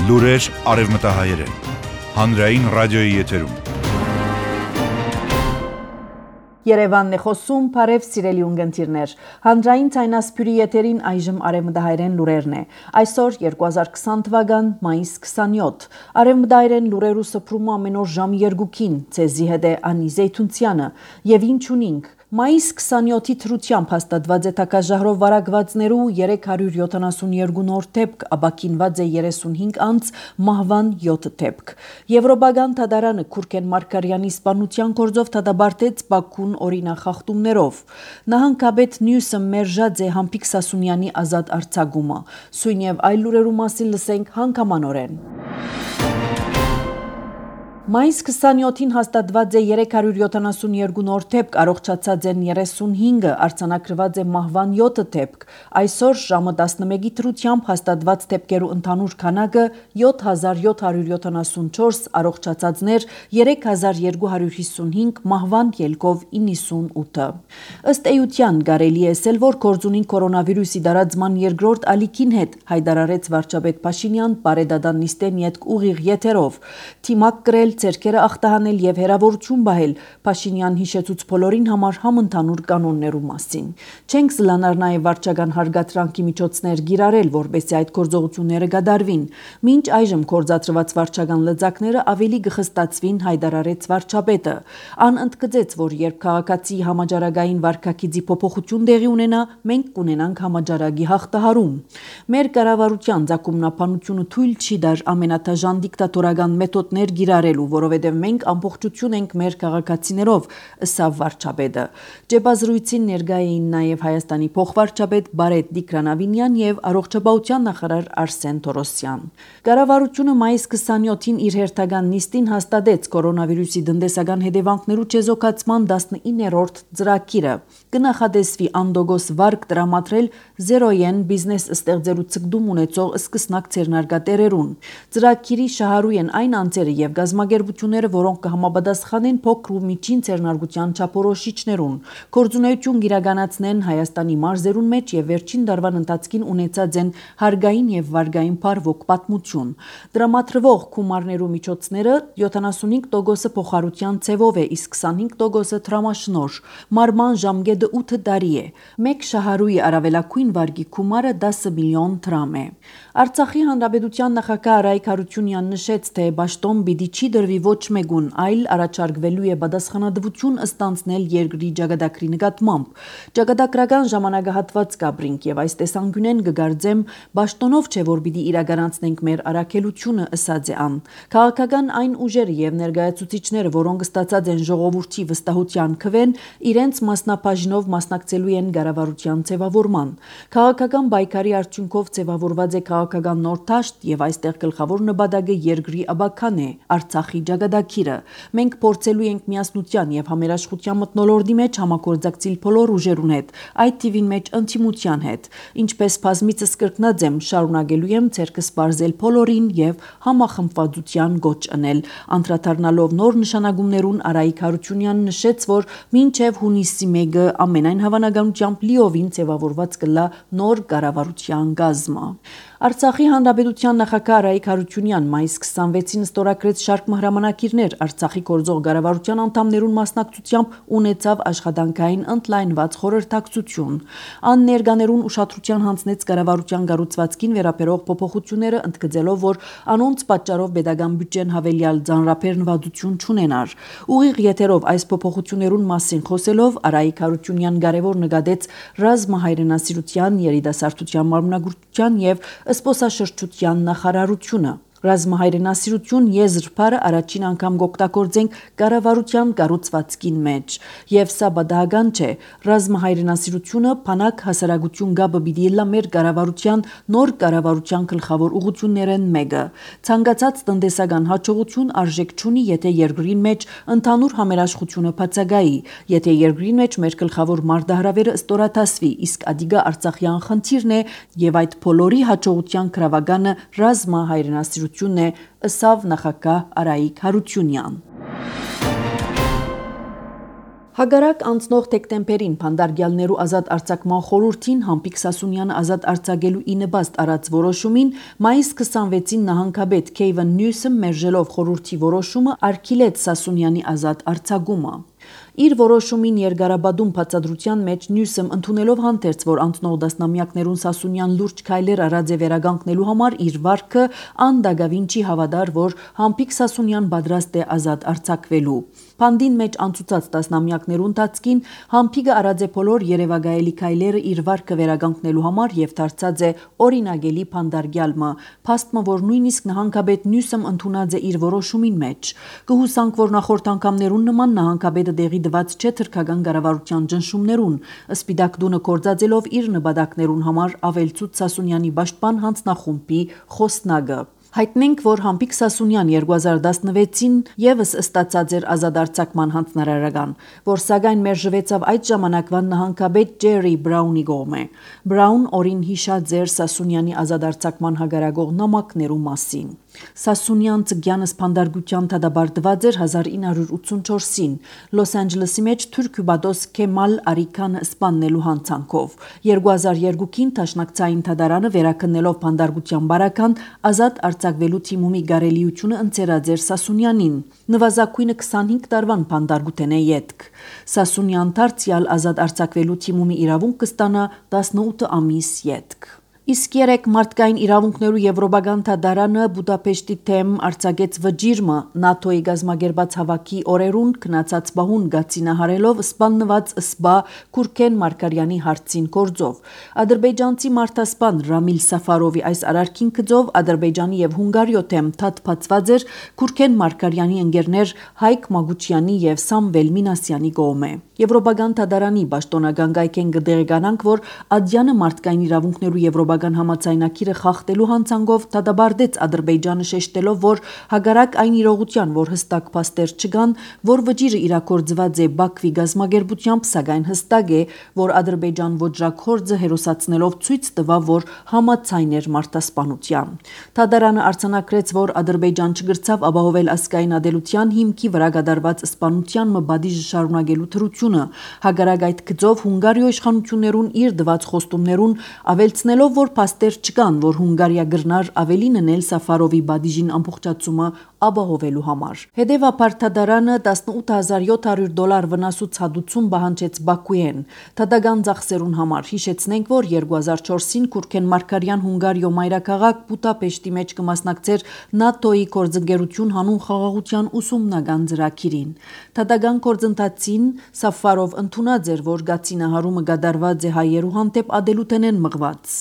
Լուրեր արևմտահայերեն, հանրային ռադիոյի եթերում։ Երևանն է խոսում, բարև սիրելի ունգընտիրներ, հանրային ցայնասփյուրի եթերին այժմ արևմտահայերեն լուրերն է, այսօր 2020 թվական մայիս 27, արևմտահայերեն լուրերու սփռումը ամեն օր ժամի 2-ին, ցեզի հետ է Անի Զեյթունցյանը, եւ ինչ ունինք, մայիս 27-ի թրությամբ հաստատված է թակաժահրով վարակվածներու 372 նոր դեպք, աբակինված է 35 անց, մահվան 7 դեպք։ Եվրոպական թադարանը Քուրքեն Մարկարյանի սպանության գործով դատապարտեց Բաքուն օրինախախտումներով։ Նահանգապետ Նյուսը մերժած է Համբիկ Սասունյանի ազատ արձակումը։ Սույն եւ այլ լուրերու մասին լսենք հանգամանորեն։ Մայիս 27-ին հաստատված է 372 նոր դեպք, առողջացած են 35-ը, արձանագրված է մահվան 7 դեպք։ Այսօր ժամը 11-ի թրությամբ հաստատված դեպքերու ընդհանուր քանակը 7774, առողջացածներ 3255, մահվան ելքով 98-ը։ Ըստ էության կարելի է ասել, որ գործունին կորոնավիրուսի դարածման երկրորդ ալիքին հետ հայտարարեց վարչապետ Փաշինյան բարեդատան նիստեն յետք ուղիղ եթերով։ Թիմակ կրել ցերկերը ախտահանել եւ հերավորություն բահել Փաշինյան հիշեցուց բոլորին համար համընդհանուր կանոններու մասին։ Չենք զլանար նաեւ վարչական հարգատրանքի միջոցներ գիրարել, որբեսի այդ գործողությունները կդարվին։ Մինչ այժմ կորզատրված վարչական լծակները ավելի կխստացվին, հայտարարեց վարչապետը։ Ան ընդգծեց, որ երբ քաղաքացի համաճարակային վարքագիծի փոփոխություն տեղի ունենա, մենք կունենանք համաճարակի հաղթահարում։ Մեր կառավարության ցակումնապանությունը թույլ չի դար ամենաթաժան դիկտատորական մեթոդներ գիրարելու, որովհետև մենք ամբողջություն ենք մեր քաղաքացիներով, ըսավ վարչապետը։ Ջեբազրույցին ներկա էին նաև Հայաստանի փոխվարչապետ Բարետ Դիկրանավինյան եւ առողջապահության նախարար Արսեն Թորոսյան։ Կառավարությունը մայիս 27-ին իր հերթական նիստին հաստատեց կորոնավիրուսի տնտեսական հետևանքներու չեզոքացման 19-րդ ծրագիրը։ Կնախադեсվի անդոգոս վարկ տրամադրել զերոյեն բիզնես ստեղծելու ցկդում ունեցող սկսնակ ցերնարգատերերուն։ Ծրագիրի շահառու են այն անձերը եւ գազམ་ագերբությունները, որոնք կհամապատասխանեն փոքր ու միջին ցերնարգության չափորոշիչներուն։ Գործունեություն կիրականացնեն Հայաստանի մարզերուն մեջ եւ վերջին դարվան ընթացքին ունեցած են հարգային եւ վարգային բարվոք պատմություն։ Դրամատրվող գումարներու միջոցները 75%-ը փոխարության ցևով է, իսկ 25%-ը տրամաշնոր։ Մարման ժամկետը 8 տարի է։ Մեկ շահառուի առավելագույն վարկի գումարը 10 միլիոն դրամ է։ Արցախի հանրապետության նախագահ Արայիկ Հարությունյանն նշեց, թե պաշտոն պիտի չի դրվի ոչ մեկուն, այլ առաջարկվելու է պատասխանատվություն ստանձնել երկրի ճակատագրի նկատմամբ։ Ճակատագրական ժամանակահատված կապրինք եւ այս տեսանկյունեն կգարձեմ պաշտոնով չէ, որ պիտի իրականացնենք մեր առաքելությունը, ըսած է ան։ Քաղաքական այն ուժերը եւ ներկայացուցիչները, որոնք ստացած են ժողովրդի վստահության քվեն, իրենց մասնաբաժնով մասնակցելու են կառավարության ձևավորման։ Քաղաքական պայքարի արդյունքով ձևավորված է քաղաքական նոր դաշտ եւ այստեղ գլխավոր նպատակը երկրի աբական է, Արցախի ճակատագիրը։ Մենք փորձելու ենք միասնության եւ համերաշխության մթնոլորտի մեջ համագործակցել բոլոր ուժերուն հետ, այդ թիվին մեջ ընդդիմության հետ։ Ինչպես բազմիցս կրկնած եմ, շարունակելու եմ ցերկս բարձել բոլորին եւ համախմբվածության գոչ անել։ Անդրադառնալով նոր նշանակումներուն Արայիկ Հարությունյանն նշեց, որ մինչեւ հունիսի 1-ը ամենայն հավանականությամբ լիովին ձևավորված կլա նոր կառավարության գազմը։ Արցախի հանրապետության նախագահ Արայիկ Հարությունյան մայիս 26-ին ստորագրեց շարք հրամանագիրներ Արցախի գործող կառավարության անդամներուն մասնակցությամբ ունեցավ աշխատանքային ընդլայնված խորհրդակցություն։ Ան ներկաներուն ուշադրության հանձնեց կառավարության կառուցվածքին վերաբերող փոփոխությունները, ընդգծելով, որ անոնց պատճառով պետական բյուջեն հավելյալ ծանրաբեռնվածություն չունենար։ Ուղիղ եթերով այս փոփոխություններուն մասին խոսելով Արայիկ Հարությունյան կարևոր նկատեց ռազմահայրենասիրության, երիտասարդության մարմնագործության եւ զբոսաշրջության նախարարությունը։ Ռազմահայրենասիրություն եզրփարը առաջին անգամ կօգտագործենք կառավարության կառուցվածքին մեջ, եւ սա բադահական չէ։ Ռազմահայրենասիրությունը բանակ հասարակություն գաբը պիտի լա մեր կառավարության նոր կառավարության գլխավոր ուղղություններն մեկը։ Ցանկացած տնտեսական հաջողություն արժեք չունի, եթե երկրին մեջ ընդհանուր համերաշխությունը բացակայի, եթե երկրին մեջ մեր գլխավոր մարտահրավերը ստորաթասվի, իսկ ադիգա արցախյան խնդիրն է եւ այդ բոլորի հաջողության գրավականը ռազմահայրենասիրություն է, ըսավ նախագահ Արայիկ Հարությունյան։ Հագարակ անցնող դեկտեմբերին Փանդարգյալներու ազատ արձակման խորհրդին Համբիկ Սասունյանը ազատ արձակելու ի նպաստ արած որոշումին մայիս 26-ին նահանգապետ Քեյվեն Նյուսոմ մերժելով խորհրդի որոշումը արգելեց Սասունյանի ազատ արձակումը։ Իր որոշումին երկարաբադում բացատրության մեջ Նյուսոմ ընդունելով հանդերձ, որ անցնող դասնամյակներուն Սասունյան լուրջ քայլեր արած է վերագանքնելու համար իր վարքը անդագավին չի հավատար, որ Համբիկ Սասունյան պատրաստ է ազատ արձակվելու։ Փանդին մեջ անցուցած դասնամյակներուն ընթացքին Համբիկը արած է բոլոր երևակայելի քայլերը իր վարքը վերագանքնելու համար եւ դարձած է օրինագելի Փանդարգյալը, փաստը, որ նույնիսկ նահանգապետ Նյուսոմ ընդունած է իր որոշումին մեջ։ Կհուսանք, որ նախորդ անգամներուն նման նահանգապետը դեղի դված չէ թրքական կառավարության ճնշումներուն, սպիտակ դունը կործածելով իր նպատակներուն համար ավելցուց Սասունյանի պաշտպան հանձնախումբի խոսնակը։ Հայտնենք, որ Համբիկ Սասունյան 2016-ին եւս ստացած էր ազատ արձակման հանձնարարական, որ սակայն մերժվեցավ այդ ժամանակվան նահանգապետ Ջերի Բրաունի կողմէ։ Բրաուն օրին հիշած էր Սասունյանի ազատ արձակման հագարագող նամակներու մասին։ Սասունյան ծգյանս փանդարգության դադարեցված էր 1984-ին Լոս Անջելեսի մեջ թուրքուբադոս Քեմալ Արիքանը սպաննելու հանցանքով։ 2002-ին Տաշնակցային դատարանը վերաքննելով փանդարգության բարական ազատ արձակվելու թիմումի գարելիությունը ընձեռած էր Սասունյանին։ Նվազագույնը 25 տարվան փանդարգութեն է ետք։ Սասունյան դարձյալ ազատ արձակվելու թիմումի իրավունք կստանա 18 ամիս ետք։ Իսկ երեք մարդկային իրավունքներու եվրոպական դատարանը Բուդապեշտի թեմ արձակեց վճիրը ՆԱՏՕ-ի գազագերբած հավաքի օրերուն քնացած բահուն գացինահարելով սպաննված սպա Քուրքեն Մարկարյանի հարցին գործով։ Ադրբեջանցի մարդասպան Ռամիլ Սաֆարովի այս արարքին գծով Ադրբեջանի եւ Հունգարիո թեմ թաթվածված էր Քուրքեն Մարկարյանի ընկերներ Հայկ Մագուչյանի եւ Սամվել Մինասյանի կողմէ։ Եվրոպական դատարանի պաշտոնական գայքեն կդեղեկանանք, որ Ադյանը մարդկային իրավունքներու եվրոպական համաձայնագիրը խախտելու հանցանքով դադարեցեց Ադրբեջանը շեշտելով, որ հագարակ այն իրողության, որ հստակ փաստեր չկան, որ վճիրը իրակորձված է Բաքվի գազագերբությամբ, սակայն հստակ է, որ Ադրբեջան ոճրաքորձը հերոսացնելով ցույց տվավ, որ համաձայն էր մարդասպանության։ Դատարանը արձանագրեց, որ Ադրբեջան չգրցավ ապահովել ազգային ադելության հիմքի վրա կատարված սպանության մբադիժը շարունակելու թրությունը, հագարակ այդ գծով Հունգարիո իշխանություններուն իր դված խոստումներուն ավելցնելով, որ փաստեր չկան, որ Հունգարիա գրնար ավելին ընել Սաֆարովի բադիժին ամբողջացումը ապահովելու համար։ Հետևաբար դատարանը $18,700 վնասու ցադություն պահանջեց Բաքուեն։ Դատական ծախսերուն համար հիշեցնենք, որ 2004-ին Քուրքեն Մարկարյան Հունգարիո մայրաքաղաք Բուդապեշտի մեջ կմասնակցեր ՆԱՏՕ-ի գործընկերություն հանուն խաղաղության ուսումնական ծրագիրին։ Դատական գործընթացին Սաֆարով ընդունած էր, որ գացինահարումը կատարված է հայերու հանդեպ ադելութենեն մղված։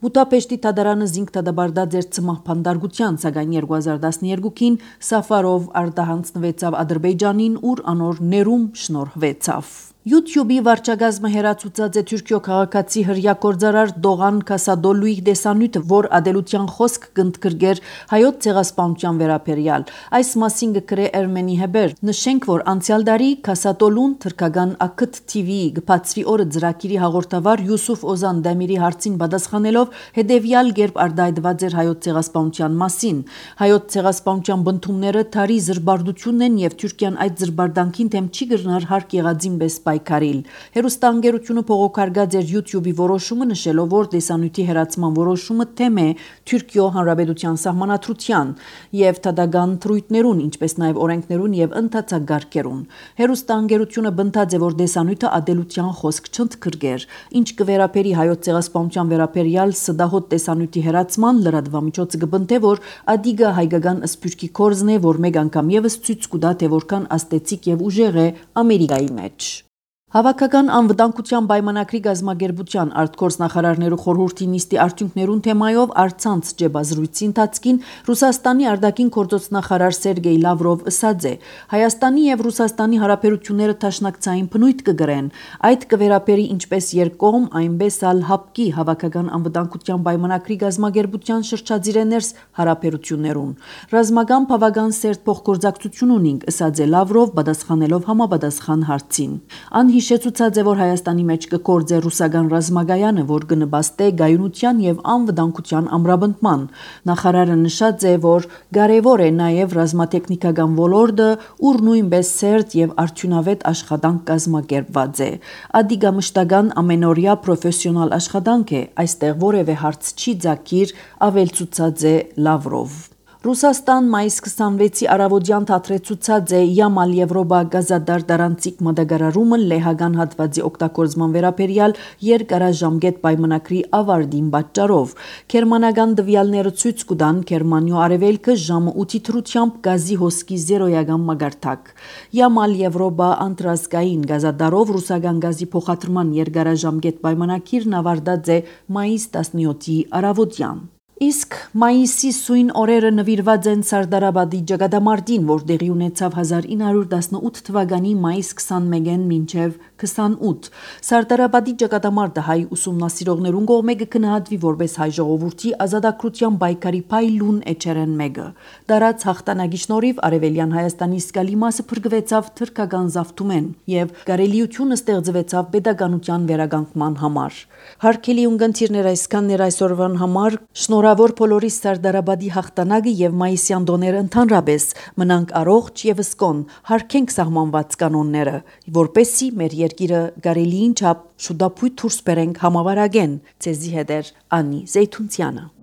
Բուդապեշտի դատարանը զինք դադարեցած էր ցմահ փանդարգության, սակայն 2012-ին Սաֆարով արտահանձնվեցավ Ադրբեջանին, ուր անոր ներում շնորհվեցավ։ YouTube-ի վարչագազմը հերացուցած է Թուրքիո քաղաքացի հրյա գործարար Դողան Քասադոլուի դեսանյութը, որ ադելության խոսք կընդգրկեր հայոց ցեղասպանության վերաբերյալ։ Այս մասին կգրե Ermeni Haber։ Նշենք, որ անցյալ տարի Քասադոլուն թրքական Ակթ TV-ի գբացվի օրը ծրագիրի հաղորդավար Յուսուֆ Օզան Դամիրի հարցին պատասխանելով հետևյալ կերպ արտահայտված էր հայոց ցեղասպանության մասին։ Հայոց ցեղասպանության բնդումները թարի զրբարդությունն են եւ Թուրքիան այդ զրբարդանքին թեմ չի գրնար հարկ եղածին պես պայքարիլ։ Հերոստանգերությունը փողոքարկած էր YouTube-ի որոշումը, նշելով, որ դեսանյութի հերացման որոշումը թեմ է Թուրքիո հանրապետության սահմանադրության եւ դատական թրույթներուն, ինչպես նաեւ օրենքներուն եւ ընդհանցագարկերուն։ Հերոստանգերությունը բնդած է, որ դեսանյութը ադելության խոսք չընդգրկեր, ինչ կվերապերի հայոց ցեղասպանության վերաբերյալ սդահոտ դեսանյութի հերացման լրատվամիջոցը կբնթե, որ ադիգա հայկական սփյուռքի կորզն է, որ մեկ անգամ եւս ցույց կտա, թե որքան աստեցիկ եւ ուժեղ է Ամերիկայի մեջ։ Հավաքական անվտանգության պայմանագրի գազագերբության արտգործնախարարներու խորհրդի նիստի արդյունքներուն թեմայով առցանց ջեբազրույցի ընթացքին Ռուսաստանի արտաքին գործոստնախարար Սերգեյ Լավրով ըսած է. Հայաստանի եւ Ռուսաստանի հարաբերությունները տաշնակցային բնույթ կգրեն, այդ կվերապերի ինչպես երկկողմ, այնպես ալ հապկի հավաքական անվտանգության պայմանագրի գազագերբության շրջածիրեներս հարաբերություններուն։ Ռազմական բավական սերտ փոխգործակցություն ունենք, ըսած է Լավրով, պատասխանելով համապատասխան հարցին։ հիշեցուցած է, որ Հայաստանի մեջ կկործե ռուսական ռազմագայանը, որ կնպաստե գայունության եւ անվտանգության ամրապնդման։ Նախարարը նշած է, որ կարևոր է նաեւ ռազմատեխնիկական ոլորտը, ուր նույնպես սերտ եւ արդյունավետ աշխատանք կազմակերպված է։ Ադիգա մշտական ամենօրյա պրոֆեսիոնալ աշխատանք է, այստեղ որևէ հարց չի ձակիր, ավելցուցած է Լավրով։ Ռուսաստան մայիս 26-ի առավոտյան թատրեցուցած է Յամալ Եվրոպա գազադար դարանցիկ մատակարարումը լեհական հատվածի օգտագործման վերաբերյալ երկարաժամկետ պայմանագրի ավարտին պատճառով։ Գերմանական տվյալները ցույց կտան Գերմանիո արևելքը ժամը 8-ի թրությամբ գազի հոսքի զերոյական մակարդակ։ Յամալ Եվրոպա անտրազգային գազադարով ռուսական գազի փոխադրման երկարաժամկետ պայմանագիրն ավարտած է մայիս 17-ի առավոտյան։ Իսկ մայիսի սույն օրերը նվիրված են Սարդարաբադի ճակատամարտին, որ տեղի ունեցավ 1918 թվականի մայիս 21-ին մինչև 28։ Սարդարաբադի ճակատամարտը հայ ուսումնասիրողներուն կողմէ կգնահատվի որպես հայ ժողովրդի ազատագրության պայքարի փայլուն էջերեն մեկը։ Դարած հաղթանակի շնորհիվ Արևելյան Հայաստանի զգալի մասը փրկվեցավ թրքական զավթումեն եւ կարելիությունը ստեղծվեցավ պետականության վերականգնման համար։ Հարգելի ունկնդիրներ, այսքաններ այսօրվան համար։ Շնորհավոր բոլորիս Սարդարաբադի հաղթանակը եւ մայիսյան տոները ընդհանրապես մնանք առողջ եւ սկոն, հարգենք սահմանված կանոնները, որպեսզի մեր երկիրը կարելիին չափ շուտապույտ դուրս բերենք համավարակեն։ Ցեզի հետ է Անի Զեյթունցյանը։